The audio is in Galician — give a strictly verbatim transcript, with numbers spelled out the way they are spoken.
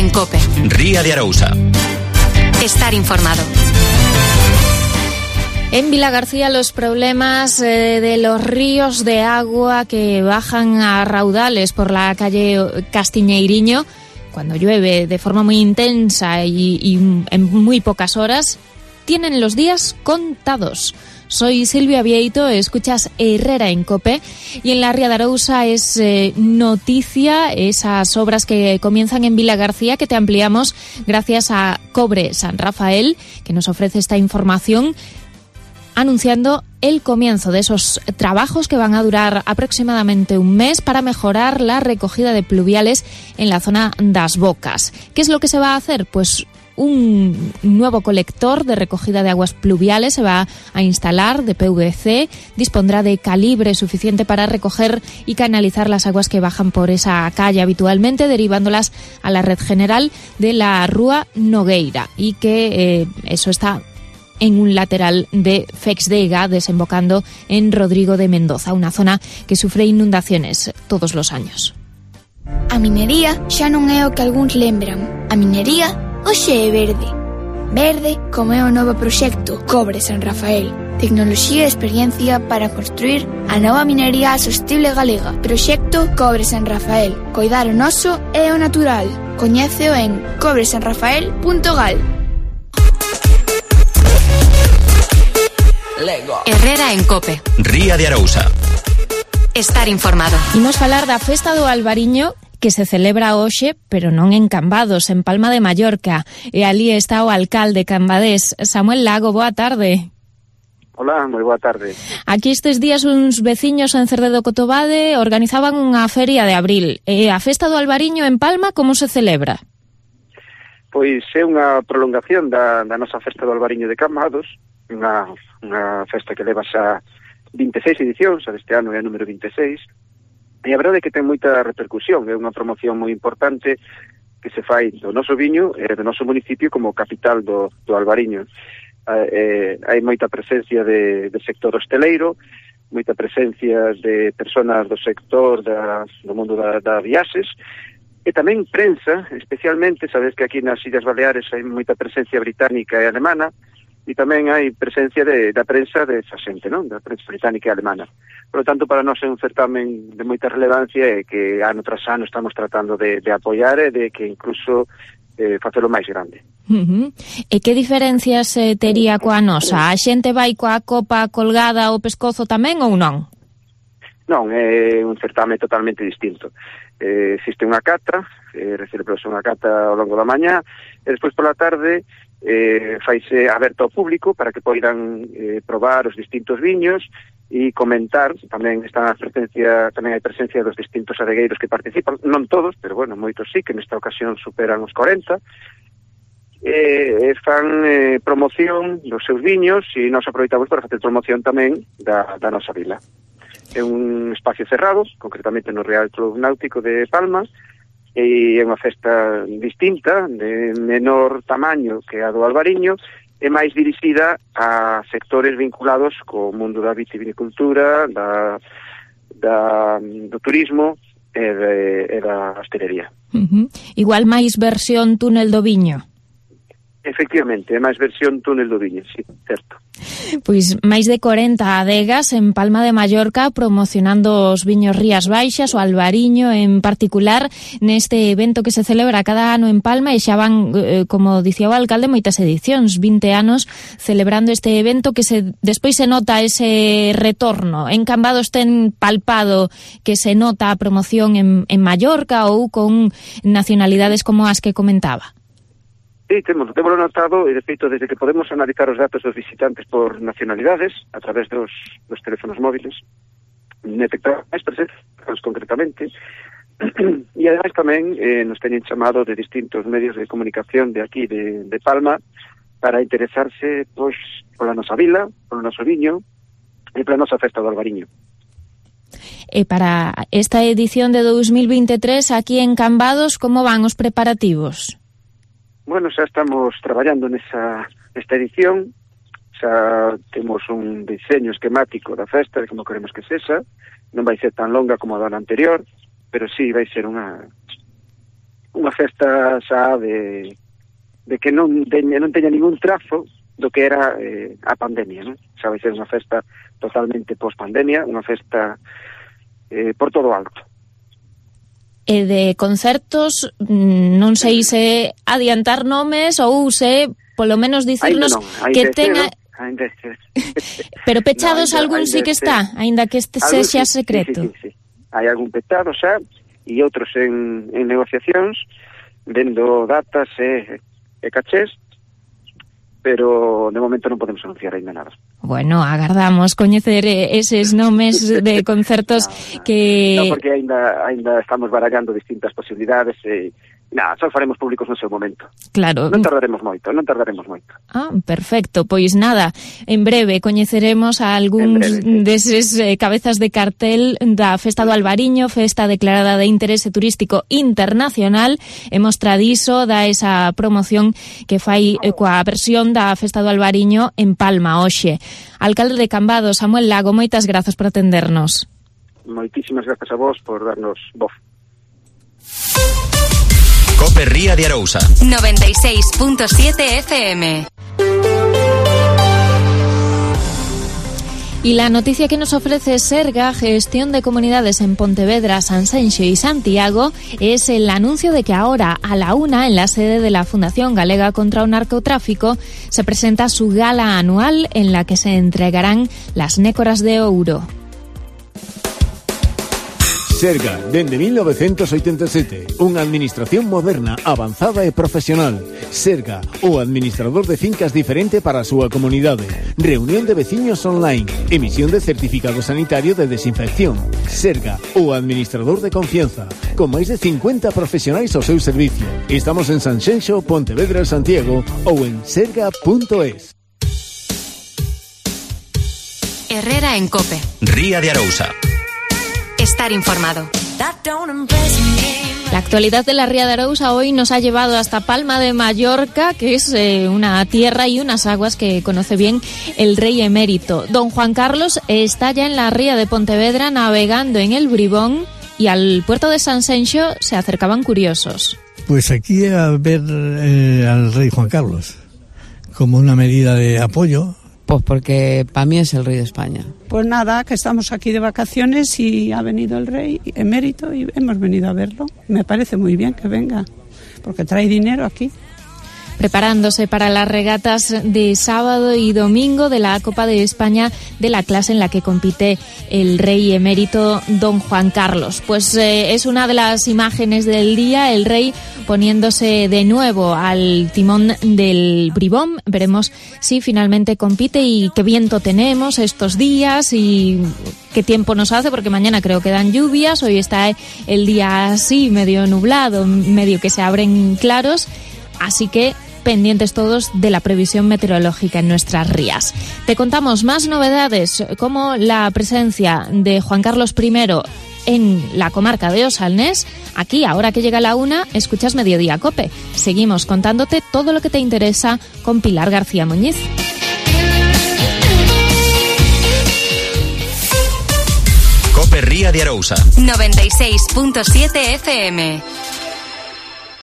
en COPE. Ría de Arousa. Estar informado. En Vilagarcía los problemas eh, de los ríos de agua que bajan a raudales por la calle Castiñeiriño cuando llueve de forma muy intensa y, y en muy pocas horas, tienen los días contados. Soy Silvia Vieito, escuchas Herrera en COPE y en la Ría de Arousa es eh, noticia esas obras que comienzan en Vilagarcía, que te ampliamos gracias a Cobre San Rafael, que nos ofrece esta información anunciando el comienzo de esos trabajos que van a durar aproximadamente un mes para mejorar la recogida de pluviales en la zona das Bocas. ¿Qué es lo que se va a hacer? Pues un nuevo colector de recogida de aguas pluviales se va a instalar de P V C, dispondrá de calibre suficiente para recoger y canalizar las aguas que bajan por esa calle habitualmente, derivándolas a la red general de la Rúa Nogueira, y que eh, eso está en un lateral de Fexdega, desembocando en Rodrigo de Mendoza, una zona que sufre inundaciones todos los años. A minería xa non é o que algúns lembran. A minería hoxe é verde. Verde como é o novo proxecto Cobre San Rafael. Tecnoloxía e experiencia para construir a nova minería sostible galega. Proxecto Cobre San Rafael. Coidar o noso e o natural. Coñéceo en cobre san rafael punto gal. Herrera en COPE. Ría de Arousa. Estar informado. Imos falar da Festa do Albariño, que se celebra hoxe, pero non en Cambados, en Palma de Mallorca. E ali está o alcalde cambadés, Samuel Lago. Boa tarde. Hola, moi boa tarde. Aquí estes días uns veciños en Cerdedo Cotobade organizaban unha feria de abril. E a Festa do Albariño en Palma, como se celebra? Pois é unha prolongación da, da nosa Festa do Albariño de Cambados, unha, unha festa que leva xa vinte e seis edicións, este ano é a número vinte e seis, e a verdade é que ten moita repercusión, é unha promoción moi importante que se fai do noso viño e do noso municipio como capital do, do Albariño. Eh, hai moita presencia de, de sector hosteleiro, moita presencia de personas do sector da, do mundo da, da viaxes, e tamén prensa, especialmente, sabes que aquí nas Illas Baleares hai moita presencia británica e alemana, e tamén hai presencia de, da prensa de esa xente, non? Da prensa británica e alemana. Por lo tanto, para nós é un certamen de moita relevancia e que ano tras ano estamos tratando de, de apoiar e de que incluso eh, facelo máis grande. Uh-huh. E que diferencias eh, tería coa nosa? A xente vai coa copa colgada ao pescozo tamén ou non? Non, é un certame totalmente distinto. Eh, existe unha cata, eh, recibirse unha cata ao longo da mañá, e despois pola tarde eh, faise aberto ao público para que poidan eh, probar os distintos viños e comentar. Tamén está a presencia, tamén hai presencia dos distintos adegueiros que participan, non todos, pero bueno, moitos sí, que nesta ocasión superan os corenta, e, e fan eh, promoción dos seus viños, e nos aproveitamos para facer promoción tamén da, da nosa vila. É un espacio cerrado, concretamente no Real Club Náutico de Palma, e é unha festa distinta, de menor tamaño que a do Albariño, e máis dirixida a sectores vinculados co mundo da vitivinicultura, da, da, do turismo e, de, e da hostelería. Uh-huh. Igual máis versión túnel do viño. Efectivamente, é máis versión túnel do viño, sí, certo. Pois máis de corenta adegas en Palma de Mallorca promocionando os viños Rías Baixas, o Albariño en particular, neste evento que se celebra cada ano en Palma, e xa van, eh, como dicía o alcalde, moitas edicións, vinte anos celebrando este evento, que se despois se nota ese retorno. En Cambados ten palpado que se nota a promoción en, en Mallorca ou con nacionalidades como as que comentaba. Sí, temos, temos notado, e de feito, desde que podemos analizar os datos dos visitantes por nacionalidades, a través dos, dos teléfonos móviles, detectamos máis presencias, concretamente, e ademais tamén eh, nos teñen chamado de distintos medios de comunicación de aquí, de, de Palma, para interesarse, pois, pola nosa vila, polo noso viño, e pola nosa festa do Albariño. E para esta edición de dos mil veintitrés, aquí en Cambados, como van os preparativos? Bueno, xa estamos traballando nesa esta edición, xa temos un diseño esquemático da festa, de como queremos que sexa, non vai ser tan longa como a da anterior, pero sí vai ser unha unha festa xa de, de que non teña, non teña ningún trazo do que era eh, a pandemia, non? Xa vai ser unha festa totalmente post-pandemia, unha festa eh, por todo alto. E de concertos, non sei se adiantar nomes ou se, polo menos, dicirnos no, que tenga... Ainda Pero pechados no, algún sí que está, aínda que este sexa sí, secreto. Sí, sí, sí. Hai algún pechado xa e outros en, en negociacións, vendo datas e, e cachés, pero de momento non podemos anunciar ainda nada. Bueno, agardamos coñecer eses nomes de concertos no, no, que... No, porque ainda, ainda estamos barallando distintas posibilidades e... Nada, só faremos públicos no seu momento. Claro. Non tardaremos moito, non tardaremos moito. Ah, perfecto. Pois nada, en breve coñeceremos a algúns breve, sí. deses eh, cabezas de cartel da Festa do Albariño, festa declarada de interese turístico internacional, e mostra diso da esa promoción que fai eh, coa versión da Festa do Albariño en Palma hoxe. Alcalde de Cambados, Samuel Lago, moitas grazas por atendernos. Moitísimas grazas a vos por darnos voz. Cope Ría de Arousa noventa y seis punto siete F M. Y la noticia que nos ofrece Serga, Gestión de Comunidades en Pontevedra, Sanxenxo y Santiago, es el anuncio de que ahora a la una, en la sede de la Fundación Galega contra o Narcotráfico, se presenta su gala anual en la que se entregarán las nécoras de ouro. Serga, dende mil novecentos oitenta e sete, unha administración moderna, avanzada e profesional. Serga, o administrador de fincas diferente para a súa comunidade. Reunión de veciños online. Emisión de certificado sanitario de desinfección. Serga, o administrador de confianza. Con máis de cincuenta profesionais ao seu servicio. Estamos en Sanxenxo, Pontevedra, Santiago ou en serga punto es. Herrera en Cope. Ría de Arousa. Estar informado. La actualidad de la Ría de Arousa hoy nos ha llevado hasta Palma de Mallorca, que es eh, una tierra y unas aguas que conoce bien el rey emérito. Don Juan Carlos está ya en la Ría de Pontevedra navegando en el Bribón, y al puerto de Sanxenxo se acercaban curiosos. Pues aquí a ver eh, al rey Juan Carlos, como una medida de apoyo. Pues porque para mí es el rey de España. Pues nada, que estamos aquí de vacaciones y ha venido el rey emérito y hemos venido a verlo. Me parece muy bien que venga, porque trae dinero aquí. Preparándose para las regatas de sábado y domingo de la Copa de España, de la clase en la que compite el rey emérito don Juan Carlos. Pues eh, es una de las imágenes del día, el rey poniéndose de nuevo al timón del Bribón. Veremos si finalmente compite y qué viento tenemos estos días y qué tiempo nos hace, porque mañana creo que dan lluvias, hoy está el día así medio nublado, medio que se abren claros, así que pendientes todos de la previsión meteorológica en nuestras rías. Te contamos más novedades, como la presencia de Juan Carlos primero en la comarca de Osalnés. Aquí, ahora que llega la una, escuchas Mediodía Cope. Seguimos contándote todo lo que te interesa con Pilar García Muñiz. Cope Ría de Arousa noventa y seis punto siete F M.